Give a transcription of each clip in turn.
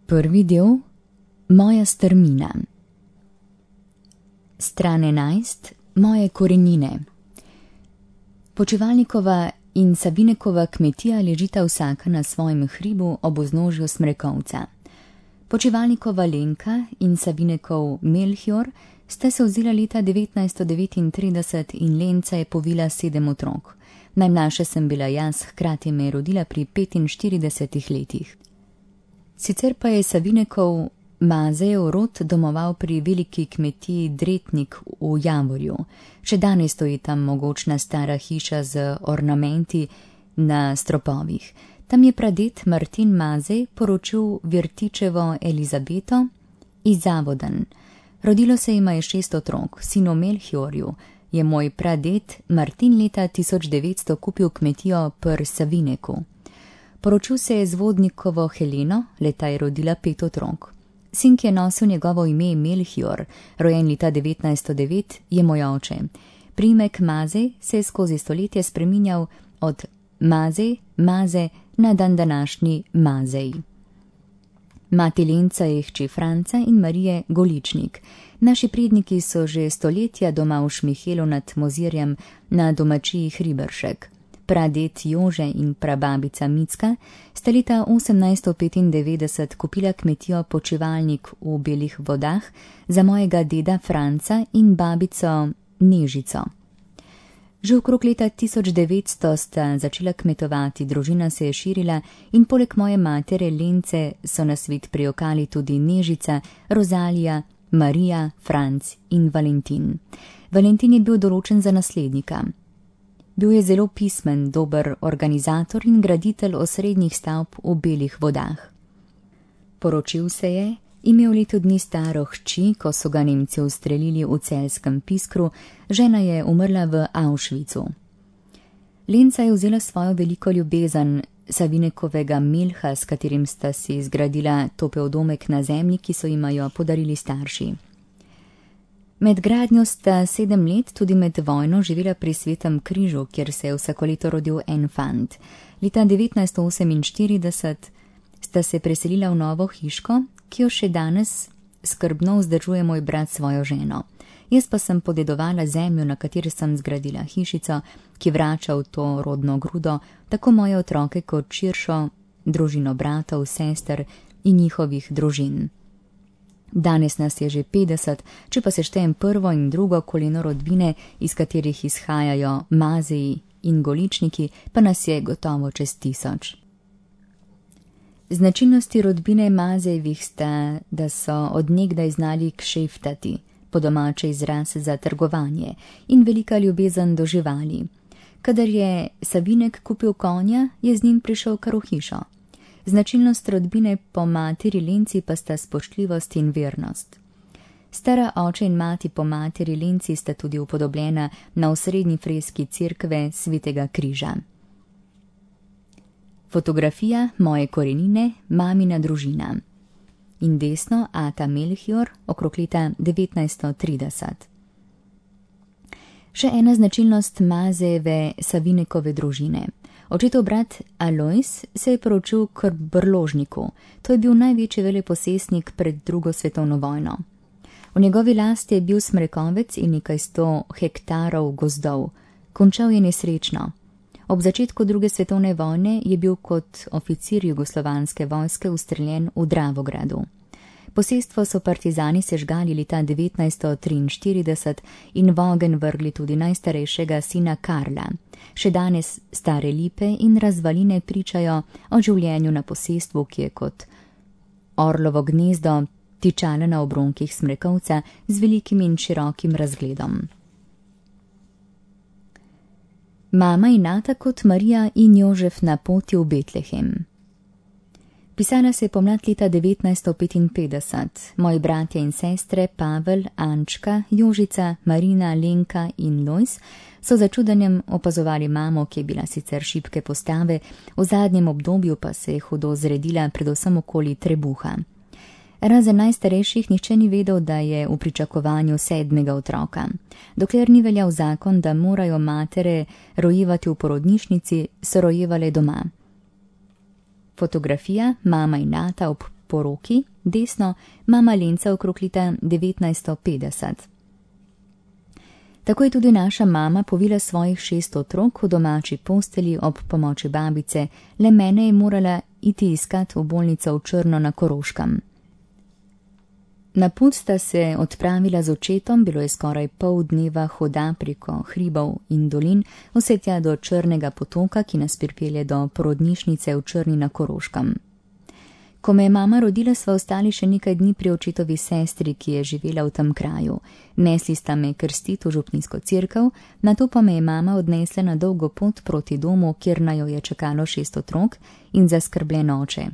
Prvi del, moja strmina. Stran 11, moje korenine. Počivalnikova in Sabinekova kmetija ležita vsaka na svojem hribu ob vznožju Smrekovca. Počivalnikova Lenka in Sabinekov Melchior sta se vzela leta 1939 in Lenca je povila 7 otrok. Najmlajša sem bila jaz, hkrati me je rodila pri 45 letih. Sicer pa je Sabinekov Mazejev rod domoval pri veliki kmetiji Dretnik v Javorju. Še danes stoji tam mogočna stara hiša z ornamenti na stropovih. Tam je praded Martin Mazej poročil Virtičevo Elizabeto iz Zavodan. Rodilo se jima je 6 otrok. Sinu Melchiorju je moj praded Martin leta 1900 kupil kmetijo pri Savineku. Poročil se je z vodnikovo Heleno, leta je rodila 5 otrok. Sin, ki je nosil njegovo ime Melchior, rojen leta 1909, je moj oče. Priimek Mazej se je skozi stoletje spreminjal od Mazej, Maze na današnji Mazej. Mati Lenca je hči Franca in Marije Goličnik. Naši predniki so že stoletja doma v Šmihelu nad Mozirjem na domačiji Hriberšek. Praded Jože in prababica Micka sta leta 1895 kupila kmetijo Počivalnik v Belih vodah za mojega deda Franca in babico Nežico. Že okrog leta 1900 sta začela kmetovati, družina se je širila in poleg moje matere Lence so na svet prijokali tudi Nežica, Rozalija, Marija, Franc in Valentin. Valentin je bil določen za naslednika. Bil je zelo pismen, dober organizator in graditelj osrednjih stavb v Belih vodah. Poročil se je, imel leto dni staro hči, ko so ga Nemci ustrelili v celjskem Piskru, žena je umrla v Auschwitzu. Lenca je vzela svojo veliko ljubezen, Savinekovega Melha, s katerim sta si zgradila topel domek na zemlji, ki so jima jo podarili starši. Med gradnjo sta 7 let, tudi med vojno, živela pri Svetem križu, kjer se je vsako leto rodil en fant. Leta 1948 sta se preselila v novo hiško, ki jo še danes skrbno vzdržuje moj brat svojo ženo. Jaz pa sem podedovala zemljo, na kateri sem zgradila hišico, ki vrača v to rodno grudo tako moje otroke kot širšo družino bratov, sester in njihovih družin. Danes nas je že 50, če pa se štejem prvo in drugo koleno rodbine, iz katerih izhajajo Mazeji in Goličniki, pa nas je gotovo čez 1000. Značilnosti rodbine Mazejevih sta, da so od nekdaj znali kšeftati, po domače izraz za trgovanje, in velika ljubezen do živali. Kadar je Savinek kupil konja, je z njim prišel kar v hišo. Značilnost rodbine po materi Lenci pa sta spoštljivost in vernost. Stara oče in mati po materi Lenci sta tudi upodobljena na osrednji freski cerkve Svetega križa. Fotografija moje korenine, mamina družina. In desno ata Melchior, okrog leta 1930. Še ena značilnost Mazejeve Savinekove družine. Očetov brat Alojz se je poročil k Brložniku. To je bil največji veleposestnik pred 2. svetovno vojno. V njegovi lasti je bil Smrekovec in nekaj 100 hektarov gozdov. Končal je nesrečno. Ob začetku 2. svetovne vojne je bil kot oficir jugoslovanske vojske ustreljen v Dravogradu. Posestvo so partizani sežgali leta 1943 in v ogenj vrgli tudi najstarejšega sina Karla. Še danes stare lipe in razvaline pričajo o življenju na posestvu, ki je kot orlovo gnezdo tičalo na obronkih Smrekovca z velikim in širokim razgledom. Mama in ata kot Marija in Jožef na poti v Betlehem. Pisala se je pomlad leta 1955. Moji bratje in sestre Pavel, Ančka, Jožica, Marina, Lenka in Lojz so za čudenjem opazovali mamo, ki je bila sicer šibke postave, v zadnjem obdobju pa se je hudo zredila predvsem okoli trebuha. Razen najstarejših nihče ni vedel, da je v pričakovanju 7. otroka. Dokler ni veljal zakon, da morajo matere rojevati v porodnišnici, so rojevale doma. Fotografija mama in ata ob poroki, desno mama Lenca okrog leta 1950. Tako je tudi naša mama povila svojih 6 otrok v domači postelji ob pomoči babice, le mene je morala iti iskat v bolnico v Črno na Koroškem. Na pot sta se odpravila z očetom, bilo je skoraj pol dneva hoda preko hribov in dolin, vse tja do Črnega potoka, ki nas pripelje do porodnišnice v Črni na Koroškem. Ko me je mama rodila, sva ostali še nekaj dni pri očetovi sestri, ki je živela v tem kraju. Nesli sta me krstiti v župnijsko cerkev, nato pa me je mama odnesla na dolgo pot proti domu, kjer naju je čakalo 6 otrok in zaskrbljen oče.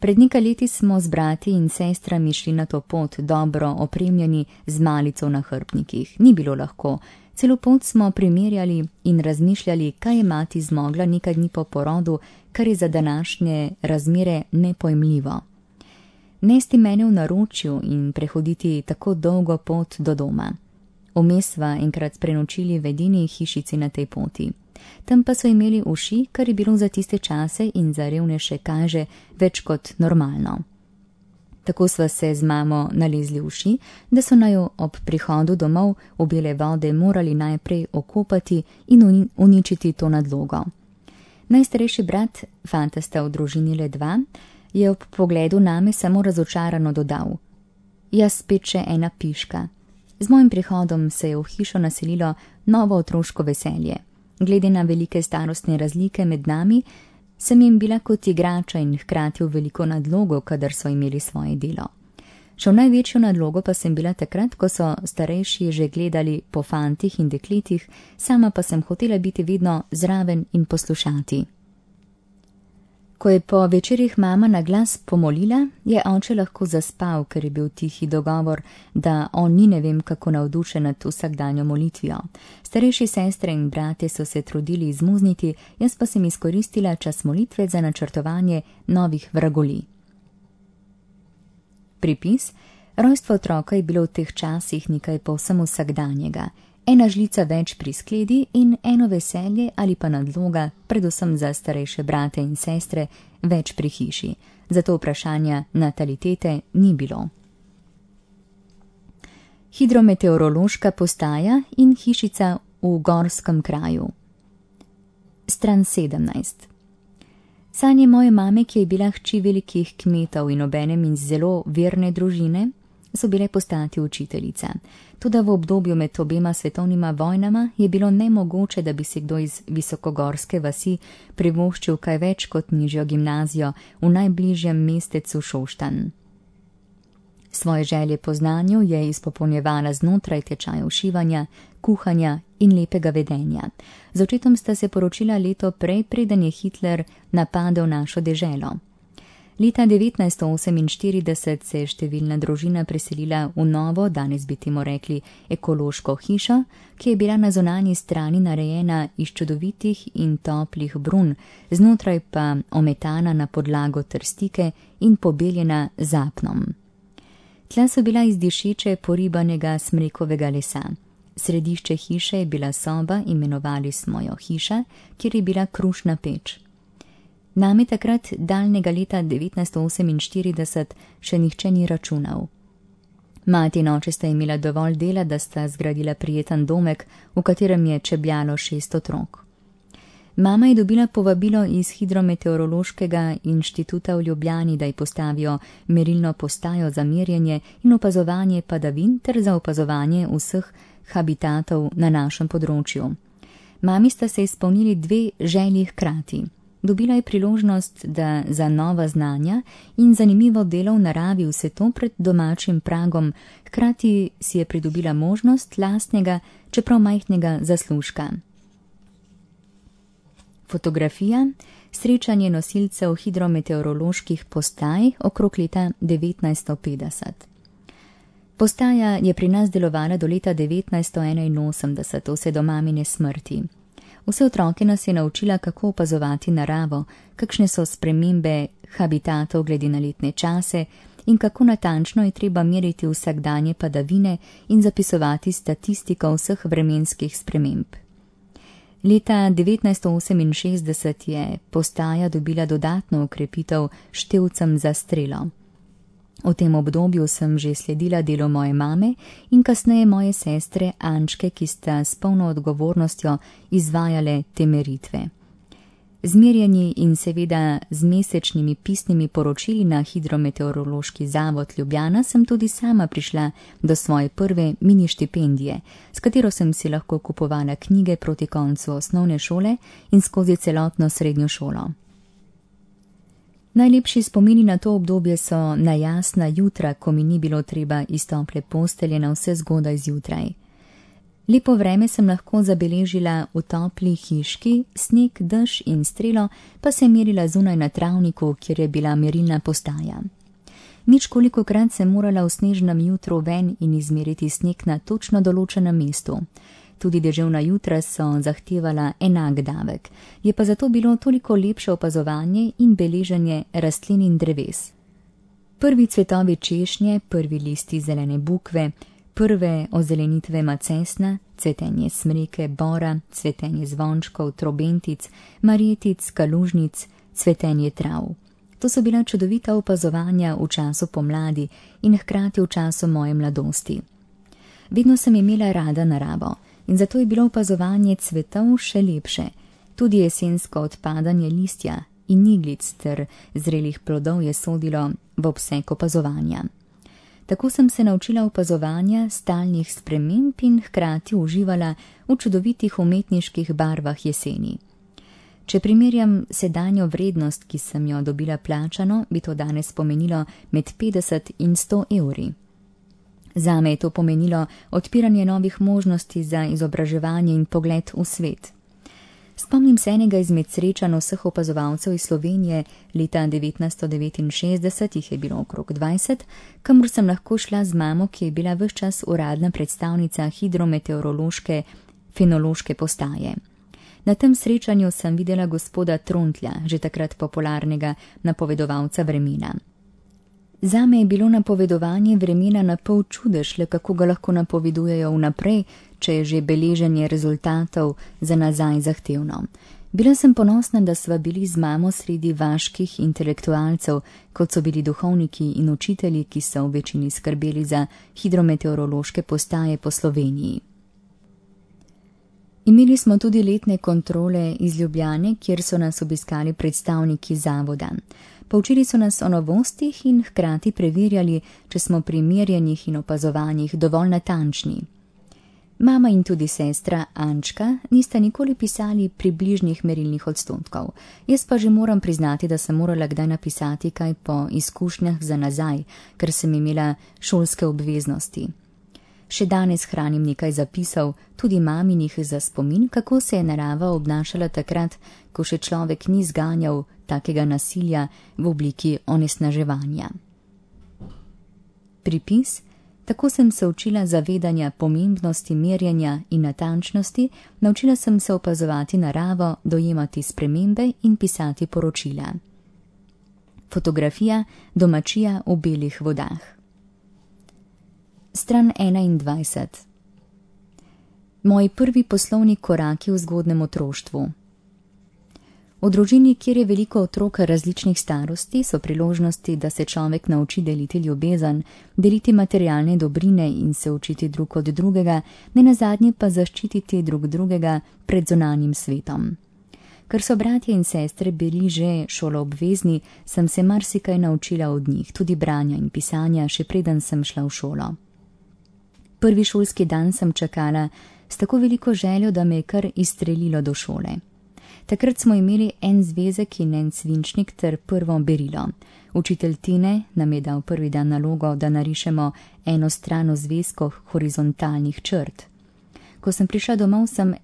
Pred nekaj leti smo z brati in sestrami šli na to pot, dobro opremljeni z malico na hrbnikih. Ni bilo lahko. Celo pot smo primerjali in razmišljali, kaj je mati zmogla nekaj dni po porodu, kar je za današnje razmere nepojmljivo. Nesti mene v naročju in prehoditi tako dolgo pot do doma. Vmes sva enkrat prenočili v edini hišici na tej poti. Tam pa so imeli uši, kar je bilo za tiste čase in za revnejše kaže več kot normalno. Tako sva se z mamo nalezli v uši, da so naju ob prihodu domov v bele vode morali najprej okopati in uničiti to nadlogo. Najstarejši brat, fanta sta v družini le 2, je ob pogledu name samo razočarano dodal: "Jaz spet še ena piška." Z mojim prihodom se je v hišo naselilo novo otroško veselje. Glede na velike starostne razlike med nami, sem jim bila kot igrača in hkrati v veliko nadlogo, kadar so imeli svoje delo. Še v največjo nadlogo pa sem bila takrat, ko so starejši že gledali po fantih in dekletih, sama pa sem hotela biti vedno zraven in poslušati. Ko je po večerih mama na glas pomolila, je oče lahko zaspal, ker je bil tihi dogovor, da on ni ne vem kako navdušen nad vsakdanjo molitvijo. Starejši sestre in brate so se trudili izmuzniti, jaz pa sem izkoristila čas molitve za načrtovanje novih vragolij. Pripis: rojstvo otroka je bilo v teh časih nekaj povsem vsakdanjega. Ena žlica več pri skledi in eno veselje ali pa nadloga, predvsem za starejše brate in sestre, več pri hiši. Zato vprašanja natalitete ni bilo. Hidrometeorološka postaja in hišica v gorskem kraju. Stran 17. Sanje moje mame, ki je bila hči velikih kmetov in obenem iz zelo verne družine, so bile postati učiteljica. Toda v obdobju med obema svetovnima vojnama je bilo nemogoče, da bi si kdo iz visokogorske vasi privoščil kaj več kot nižjo gimnazijo v najbližjem mestecu Šoštanj. Svoje želje po znanju je izpopolnjevala znotraj tečajev šivanja, kuhanja in lepega vedenja. Z očetom sta se poročila leto prej, preden je Hitler napadel našo deželo. Leta 1948 se je številna družina preselila v novo, danes bi temu rekli ekološko hišo, ki je bila na zunanji strani narejena iz čudovitih in toplih brun, znotraj pa ometana na podlago trstike in pobeljena z apnom. Tla so bila iz dišeče poribanega smrekovega lesa. Središče hiše je bila soba, imenovali smo jo hiša, kjer je bila krušna peč. Name takrat, daljnega leta 1948, še nihče ni računal. Mati in oče sta imela dovolj dela, da sta zgradila prijeten domek, v katerem je čebljalo 6 otrok. Mama je dobila povabilo iz Hidrometeorološkega inštituta v Ljubljani, da ji postavijo merilno postajo za merjenje in opazovanje padavin ter za opazovanje vseh habitatov na našem področju. Mami sta se izpolnili 2 želji hkrati. Dobila je priložnost, da za nova znanja in zanimivo delo v naravi vse to pred domačim pragom, hkrati si je pridobila možnost lastnega, čeprav majhnega zaslužka. Fotografija: srečanje nosilcev hidrometeoroloških postaj okrog leta 1950. Postaja je pri nas delovala do leta 1981, vse do mamine smrti. Vse otroke nas je naučila, kako opazovati naravo, kakšne so spremembe habitatov glede na letne čase in kako natančno je treba meriti vsakdanje padavine in zapisovati statistiko vseh vremenskih sprememb. Leta 1968 je postaja dobila dodatno okrepitev števcem za strelo. V tem obdobju sem že sledila delu moje mame in kasneje moje sestre Ančke, ki sta s polno odgovornostjo izvajale te meritve. Z merjenji in seveda z mesečnimi pisnimi poročili na Hidrometeorološki zavod Ljubljana sem tudi sama prišla do svoje prve mini štipendije, s katero sem si lahko kupovala knjige proti koncu osnovne šole in skozi celotno srednjo šolo. Najlepši spomini na to obdobje so na jasna jutra, ko mi ni bilo treba iz tople postelje na vse zgodaj zjutraj. Lepo vreme sem lahko zabeležila v topli hiški, sneg, dež in strelo pa se merila zunaj na travniku, kjer je bila merilna postaja. Ničkolikokrat sem morala v snežnem jutru ven in izmeriti sneg na točno določenem mestu. Tudi deževna jutra so zahtevala enak davek, je pa zato bilo toliko lepše opazovanje in beleženje rastlin in dreves. Prvi cvetovi češnje, prvi listi zelene bukve, prve ozelenitve macesna, cvetenje smreke, bora, cvetenje zvončkov, trobentic, marjetic, kalužnic, cvetenje trav. To so bila čudovita opazovanja v času pomladi in hkrati v času moje mladosti. Vedno sem imela rada naravo in zato je bilo opazovanje cvetov še lepše. Tudi jesensko odpadanje listja in iglic ter zrelih plodov je sodilo v obseg opazovanja. Tako sem se naučila opazovanja stalnih sprememb in hkrati uživala v čudovitih umetniških barvah jeseni. Če primerjam sedanjo vrednost, ki sem jo dobila plačano, bi to danes pomenilo med 50 in 100 evri. Zame je to pomenilo odpiranje novih možnosti za izobraževanje in pogled v svet. Spomnim se enega izmed srečanj vseh opazovalcev iz Slovenije leta 1969, jih je bilo okrog 20, kamor sem lahko šla z mamo, ki je bila ves čas uradna predstavnica hidrometeorološke fenološke postaje. Na tem srečanju sem videla gospoda Trontlja, že takrat popularnega napovedovalca vremena. Zame je bilo napovedovanje vremena na pol čudež, le kako ga lahko napovedujejo vnaprej, če je že beleženje rezultatov za nazaj zahtevno. Bila sem ponosna, da sva bili z mamo sredi vaških intelektualcev, kot so bili duhovniki in učitelji, ki so v večini skrbeli za hidrometeorološke postaje po Sloveniji. Imeli smo tudi letne kontrole iz Ljubljane, kjer so nas obiskali predstavniki zavoda. Poučili so nas o novostih in hkrati preverjali, če smo pri merjenjih in opazovanjih dovolj natančni. Mama in tudi sestra Ančka nista nikoli pisali približnih merilnih odstotkov. Jaz pa že moram priznati, da sem morala kdaj napisati kaj po izkušnjah za nazaj, ker sem imela šolske obveznosti. Še danes hranim nekaj zapisov, tudi maminih za spomin, kako se je narava obnašala takrat, ko še človek ni zganjal takega nasilja v obliki onesnaževanja. Pripis: tako sem se učila zavedanja pomembnosti merjenja in natančnosti, naučila sem se opazovati naravo, dojemati spremembe in pisati poročila. Fotografija: domačija v belih vodah. Stran 21. Moji prvi poslovni koraki v zgodnem otroštvu. V družini, kjer je veliko otrok različnih starosti, so priložnosti, da se človek nauči deliti ljubezen, deliti materialne dobrine in se učiti drug od drugega, nenazadnje pa zaščititi drug drugega pred zunanjim svetom. Ker so bratje in sestre bili že šoloobvezni, sem se marsikaj naučila od njih, tudi branja in pisanja, še preden sem šla v šolo. Prvi šolski dan sem čakala s tako veliko željo, da me je kar izstrelilo do šole. Takrat smo imeli en zvezek in en svinčnik ter prvo berilo. Učitelj Tine nam je dal prvi dan nalogo, da narišemo eno stran v zvezku horizontalnih črt. Ko sem prišla domov, sem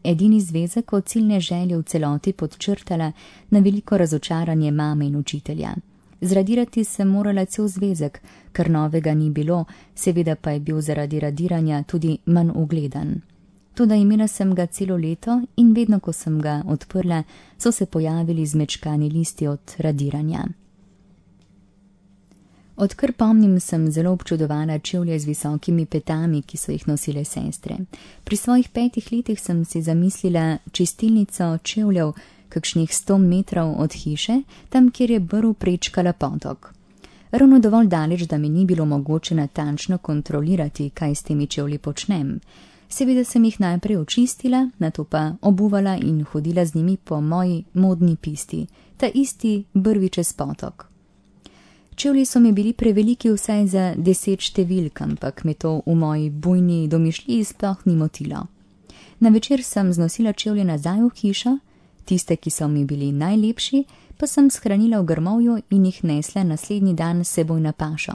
edini zvezek od ciljne želje v celoti podčrtala na veliko razočaranje mame in učitelja. Zradirati sem morala cel zvezek, ker novega ni bilo, seveda pa je bil zaradi radiranja tudi manj ugledan. Toda imela sem ga celo leto in vedno, ko sem ga odprla, so se pojavili zmečkani listi od radiranja. Odkar pomnim, sem zelo občudovala čevlje z visokimi petami, ki so jih nosile sestre. Pri svojih 5 letih sem si zamislila čistilnico čevljev kakšnih 100 metrov od hiše, tam, kjer je brv prečkala potok. Ravno dovolj daleč, da mi ni bilo mogoče natančno kontrolirati, kaj s temi čevlji počnem. Seveda sem jih najprej očistila, nato pa obuvala in hodila z njimi po moji modni pisti, ta isti brvi čez potok. Čevlji so mi bili preveliki vsaj za 10 številk, ampak me to v moji bujni domišljiji sploh ni motilo. Na večer sem znosila čevlje nazaj v hišo, tiste, ki so mi bili najlepši, pa sem shranila v grmovju in jih nesla naslednji dan s seboj na pašo.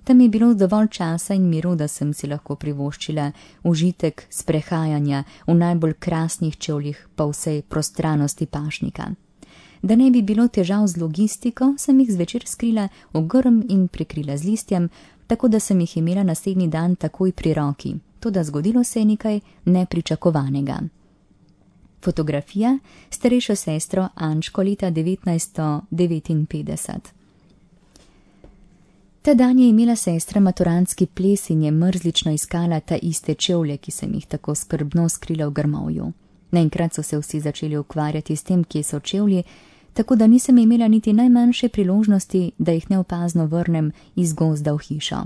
Tam je bilo dovolj časa in miru, da sem si lahko privoščila užitek sprehajanja v najbolj krasnih čevljih po vsej prostranosti pašnika. Da ne bi bilo težav z logistiko, sem jih zvečer skrila v grm in prekrila z listjem, tako da sem jih imela naslednji dan takoj pri roki, toda zgodilo se je nekaj nepričakovanega. Fotografija s starejšo sestro Ančko leta 1959. Ta dan je imela sestra maturantski ples in je mrzlično iskala ta iste čevlje, ki sem jih tako skrbno skrila v grmovju. Naenkrat so se vsi začeli ukvarjati s tem, kje so čevlji, tako da nisem imela niti najmanjše priložnosti, da jih neopazno vrnem iz gozda v hišo.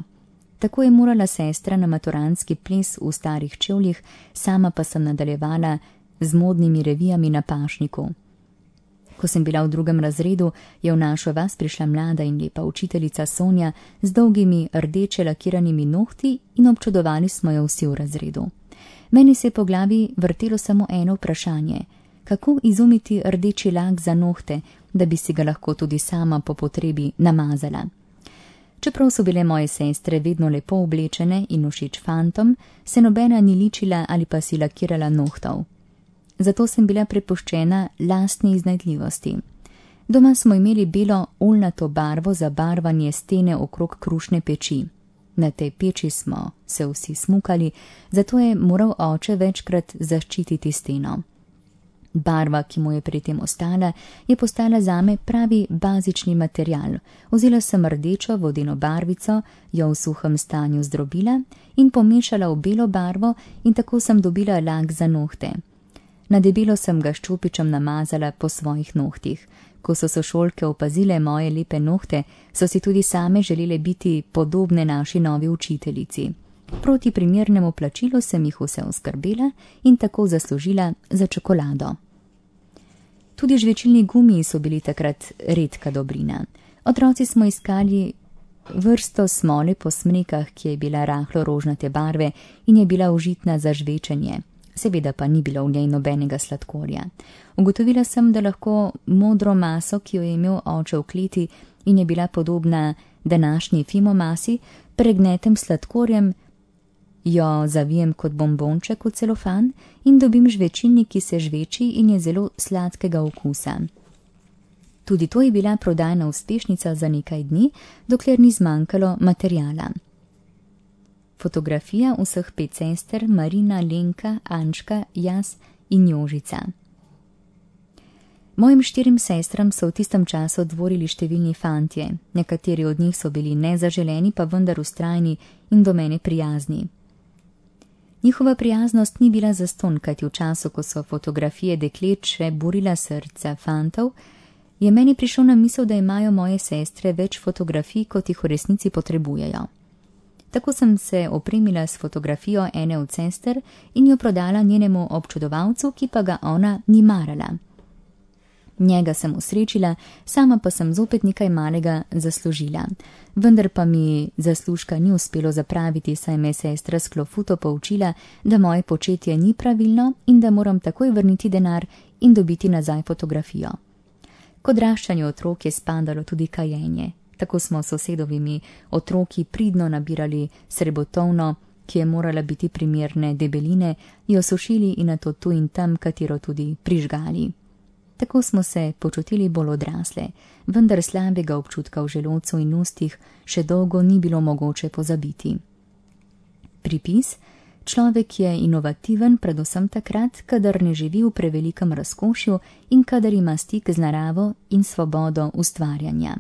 Tako je morala sestra na maturantski ples v starih čevljih, sama pa sem nadaljevala z modnimi revijami na pašniku. Ko sem bila v 2. razredu, je v našo vas prišla mlada in lepa učiteljica Sonja z dolgimi rdeče lakiranimi nohti in občudovali smo jo vsi v razredu. Meni se je po glavi vrtelo samo eno vprašanje: kako izumiti rdeči lak za nohte, da bi si ga lahko tudi sama po potrebi namazala. Čeprav so bile moje sestre vedno lepo oblečene in všeč fantom, se nobena ni ličila ali pa si lakirala nohtov. Zato sem bila prepuščena lastni iznajdljivosti. Doma smo imeli belo oljnato barvo za barvanje stene okrog krušne peči. Na tej peči smo se vsi smukali, zato je moral oče večkrat zaščititi steno. Barva, ki mu je pri tem ostala, je postala zame pravi bazični material. Vzela sem rdečo vodeno barvico, jo v suhem stanju zdrobila in pomešala v belo barvo in tako sem dobila lak za nohte. Na debelo sem ga s čopičem namazala po svojih nohtih. Ko so sošolke opazile moje lepe nohte, so si tudi same želele biti podobne naši novi učiteljici. Proti primernemu plačilu sem jih vse oskrbela in tako zaslužila za čokolado. Tudi žvečilni gumiji so bili takrat redka dobrina. Otroci smo iskali vrsto smole po smrekah, ki je bila rahlo rožnate barve in je bila užitna za žvečenje. Seveda pa ni bilo v njej nobenega sladkorja. Ugotovila sem, da lahko modro maso, ki jo je imel oče v kleti in je bila podobna današnji fimomasi, pregnetem sladkorjem, jo zavijem kot bombonček v celofan in dobim žvečilnik, ki se žveči in je zelo sladkega okusa. Tudi to je bila prodajna uspešnica za nekaj dni, dokler ni zmanjkalo materiala. Fotografija vseh 5 sester, Marina, Lenka, Ančka, jaz in Jožica. Mojim 4 sestram so v tistem času dvorili številni fantje. Nekateri od njih so bili nezaželeni, pa vendar vztrajni in do mene prijazni. Njihova prijaznost ni bila zastonj, kajti v času, ko so fotografije deklet še burila srca fantov, je meni prišlo na misel, da imajo moje sestre več fotografij, kot jih v resnici potrebujejo. Tako sem se opremila s fotografijo ene od sester in jo prodala njenemu občudovalcu, ki pa ga ona ni marala. Njega sem usrečila, sama pa sem zopet nekaj malega zaslužila. Vendar pa mi zaslužka ni uspelo zapraviti, saj me sestra s klofuto poučila, da moje početje ni pravilno in da moram takoj vrniti denar in dobiti nazaj fotografijo. K odraščanju otrok je spadalo tudi kajenje. Tako smo sosedovimi otroki pridno nabirali srebotovno, ki je morala biti primerne debeline, jo sušili in nato tu in tam katero tudi prižgali. Tako smo se počutili bolj odrasle, vendar slabega občutka v želodcu in ustih še dolgo ni bilo mogoče pozabiti. Pripis: človek je inovativen predvsem takrat, kadar ne živi v prevelikem razkošju in kadar ima stik z naravo in svobodo ustvarjanja.